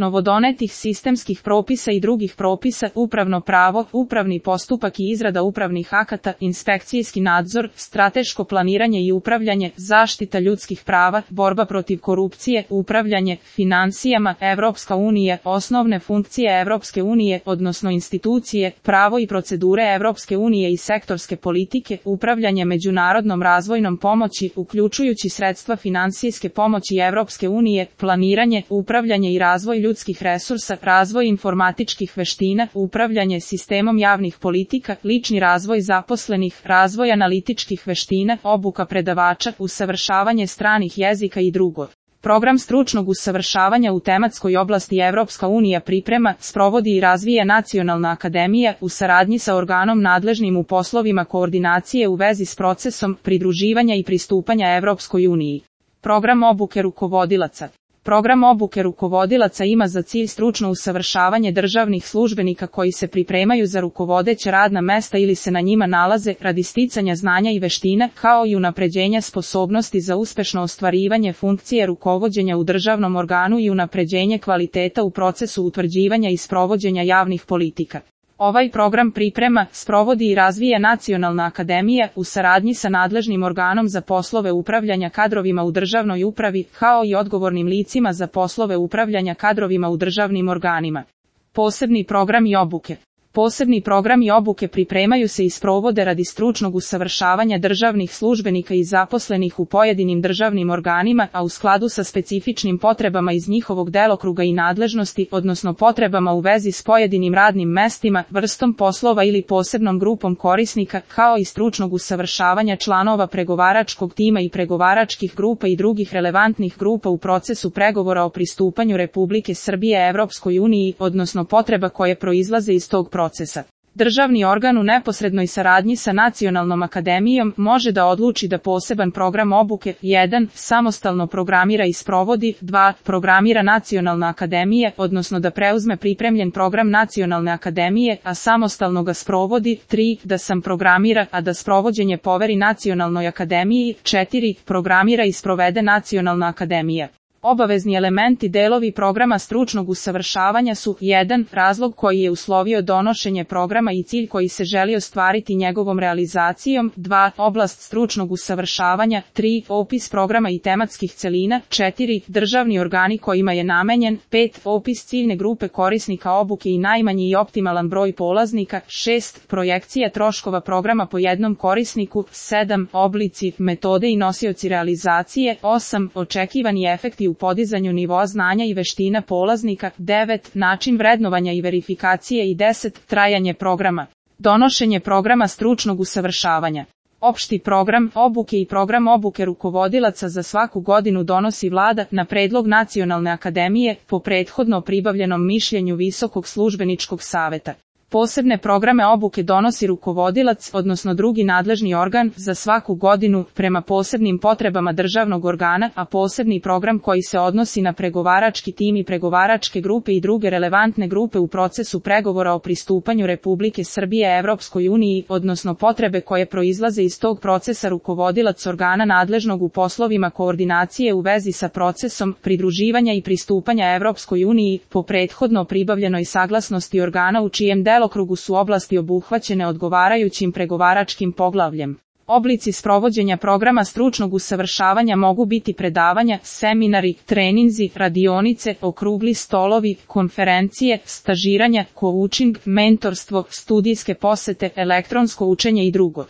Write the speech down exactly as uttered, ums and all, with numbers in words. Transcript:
novodonetih sistemskih propisa i drugih propisa, upravno pravo, upravni postupak i izrada upravnih akata, inspekcijski nadzor, strateško planiranje i upravljanje, zaštita ljudskih prava, borba protiv korupcije, upravljanje finansijama, Evropska unija, osnovne funkcije Evropske unije, odnosno institucije, pravo i procedure Evropske unije i sektorske politike, upravljanje međunarodnom razvojnom pomoći, uključujući sredstva finansijske pomoći Evropske unije, planiranje, upravljanje i razvoj ljudskih resursa, razvoj informatičkih veština, upravljanje sistemom javnih politika, lični razvoj zaposlenih, razvoj analitičkih veština, obuka predavača, usavršavanje stranih jezika i drugo. Program stručnog usavršavanja u tematskoj oblasti Evropska unija priprema, sprovodi i razvija Nacionalna akademija u saradnji sa organom nadležnim u poslovima koordinacije u vezi s procesom pridruživanja i pristupanja Evropskoj uniji. Program obuke rukovodilaca. Program obuke rukovodilaca ima za cilj stručno usavršavanje državnih službenika koji se pripremaju za rukovodeća radna mesta ili se na njima nalaze radi sticanja znanja i veština, kao i unapređenja sposobnosti za uspešno ostvarivanje funkcije rukovođenja u državnom organu i unapređenje kvaliteta u procesu utvrđivanja i sprovođenja javnih politika. Ovaj program priprema, sprovodi i razvija Nacionalna akademija u saradnji sa nadležnim organom za poslove upravljanja kadrovima u državnoj upravi, kao i odgovornim licima za poslove upravljanja kadrovima u državnim organima. Posebni programi obuke. Posebni programi obuke pripremaju se i sprovode radi stručnog usavršavanja državnih službenika i zaposlenih u pojedinim državnim organima, a u skladu sa specifičnim potrebama iz njihovog delokruga i nadležnosti, odnosno potrebama u vezi s pojedinim radnim mestima, vrstom poslova ili posebnom grupom korisnika, kao i stručnog usavršavanja članova pregovaračkog tima i pregovaračkih grupa i drugih relevantnih grupa u procesu pregovora o pristupanju Republike Srbije Evropskoj uniji, odnosno potreba koje proizlaze iz tog procesa. procesa. Državni organ u neposrednoj saradnji sa Nacionalnom akademijom može da odluči da poseban program obuke jedan samostalno programira i sprovodi, dva programira Nacionalna akademija, odnosno da preuzme pripremljen program Nacionalne akademije, a samostalno ga sprovodi, tri da sam programira, a da sprovođenje poveri Nacionalnoj akademiji, četiri programira i sprovede Nacionalna akademija. Obavezni elementi delovi programa stručnog usavršavanja su jedan razlog koji je uslovio donošenje programa i cilj koji se želi ostvariti njegovom realizacijom, dva oblast stručnog usavršavanja, tri opis programa i tematskih celina, četiri državni organi kojima je namenjen, pet opis ciljne grupe korisnika obuke i najmanji i optimalan broj polaznika, šest projekcija troškova programa po jednom korisniku, sedam oblici, metode i nosioci realizacije, osam očekivani efekti u podizanju nivoa znanja i veština polaznika, devet način vrednovanja i verifikacije i deset trajanje programa. Donošenje programa stručnog usavršavanja. Opšti program obuke i program obuke rukovodilaca za svaku godinu donosi Vlada na predlog Nacionalne akademije po prethodno pribavljenom mišljenju Visokog službeničkog saveta. Posebne programe obuke donosi rukovodilac, odnosno drugi nadležni organ, za svaku godinu, prema posebnim potrebama državnog organa, a posebni program koji se odnosi na pregovarački tim i pregovaračke grupe i druge relevantne grupe u procesu pregovora o pristupanju Republike Srbije Evropskoj uniji, odnosno potrebe koje proizlaze iz tog procesa rukovodilac organa nadležnog u poslovima koordinacije u vezi sa procesom pridruživanja i pristupanja Evropskoj uniji, po prethodno pribavljenoj saglasnosti organa u čijem delu delokrugu su oblasti obuhvaćene odgovarajućim pregovaračkim poglavljem. Oblici sprovođenja programa stručnog usavršavanja mogu biti predavanja, seminari, treninzi, radionice, okrugli stolovi, konferencije, stažiranja, coaching, mentorstvo, studijske posete, elektronsko učenje i drugo.